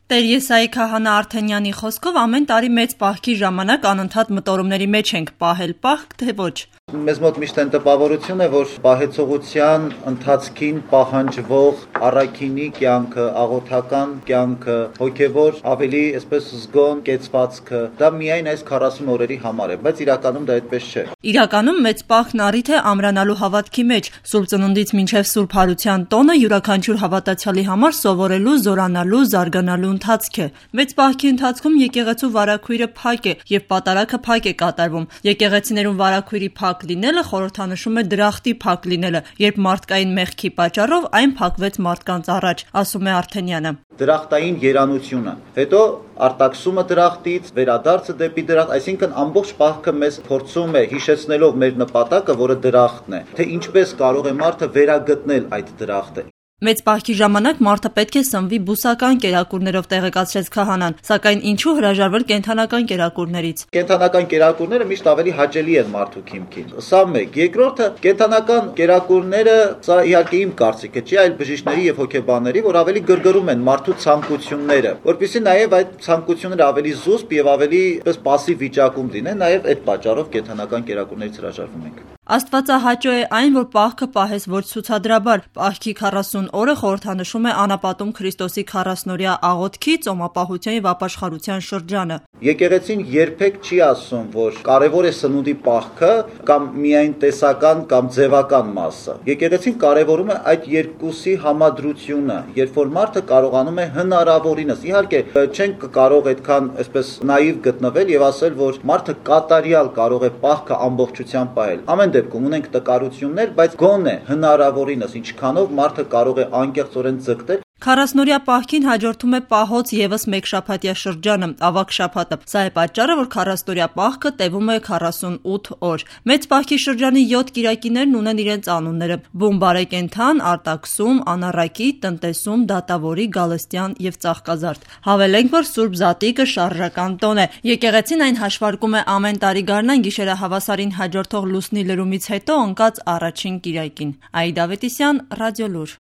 Տեր Եսայի քահանա Արթենյանի խոսքով ամեն տարի մեծ պահքի ժամանակ անընդհատ մտորումների մեջ ենք պահել պահք, թե ոչ։ Մեզ մոտ միշտ այն տպավորություն է, որ պահեցողության ընթացքին պահանջվող առաքինի կյանքը, աղոթական կյանքը, հոգևոր ավելի այսպես զգոն կեցվածքը, դա միայն այս 40 օրերի համար է, բայց իրականում դա այդպես չէ։ Իրականում մեծ պահքն առիթ է ամրանալու հավատքի մեջ, Սուրբ Ծնունդից մինչև Սուրբ Հարության տոնը յուրաքանչյուր հավատացյալի համար սովորելու, զորանալու, զարգանալու ընթացք է։ Մեծ պահքի ընթացքում եկեղեցու վարագույրը փակ է եւ պատարագը փակ է կատարվում։ Եկեղեցիներում վարագույրի փակ լինելը խորհրդանշում է դրախտի փակ լինելը, երբ մարդկային մեղքի պատճառով այն փակվեց մարդկանց առաջ, ասում է Արթենյանը։ Դրախտային երանությունը, հետո արտաքսումը դրախտից, վերադարձը դեպի դրախտ, այսինքն ամբողջ պահքը մեզ փորձում է հիշեցնելով մեր նպատակը, որը դրախտն է, թե ինչպես կարող է մարդը վերագտնել այդ դրախտը։ Մեծ պահքի ժամանակ մարդը պետք է սնվի բուսական կերակուրներով, տեղեկացրեց քահանան, սակայն ինչու հրաժարվել կենդանական կերակուրներից։ Կենդանական կերակուրները միշտ ավելի հաճելի են մարդու քիմքին։ Սա մեկ, երկրորդը, կենդանական կերակուրները, սա իհարկե իմ կարծիքը չի, այլ բժիշկների եւ հոգեբանների, որ ավելի գրգռում են մարդու ցանկությունները, որպեսզի նաեւ այդ ցանկությունները ավելի զուսպ եւ ավելի պասիվ վիճակում լինեն, նաեւ այդ պատճառով կենդանական կերակուրներից հրաժարվում ենք։ Աստվածահաճո է այն, որ պահքը պահես ոչ ցուցադրաբար։ Պահքի 40 օրը խորհրդանշում է անապատում Քրիստոսի 40-օրյա աղոթքի, ծոմապահության եւ ապաշխարության շրջանը։ Եկեղեցին երբեք չի ասում, որ կարևոր է սնունդի պահքը կամ միայն տեսական կամ ձևական մասը։ Եկեղեցին կարևորում է այդ երկուսի համադրությունը, երբ որ մարդը կարողանում է հնարավորինս, իհարկե չենք կարող այդքան այսպես նաիվ գտնվել եւ ասել, որ մարդը կատարյալ կարող է պահքը ամբողջությամբ պահել։ Ամեն դեպքում ունենք տկարություններ, բայց գոնե հնարավորինս ինչքանով մարդը կարող է անկեղծորեն ձգտել։ 40-օրյա պահքին հաջորդում է պահոց եւս մեկ շաբաթյա շրջանը, ավագ շաբաթը։ Սա է պատճառը, որ 40-օրյա պահքը տևում է 48 օր։ Մեծ պահքի շրջանի 7 կիրակիներն ունեն իրենց անունները՝ բուն բարեկենդան, արտաքսում, անառակի, տնտեսում, դատավորի, գալստյան եւ ծաղկազարդ։ Հավելենք, որ Սուրբ Զատիկը շարժական տոն է։ Եկեղեցին այն հաշվարկում է ամեն տարի գարնան գիշերահավասարին հաջորդող լուսնի լրումից հետո ընկած առաջին կիրակին։ Այդա Ավետիսյան, Ռադիոլուր։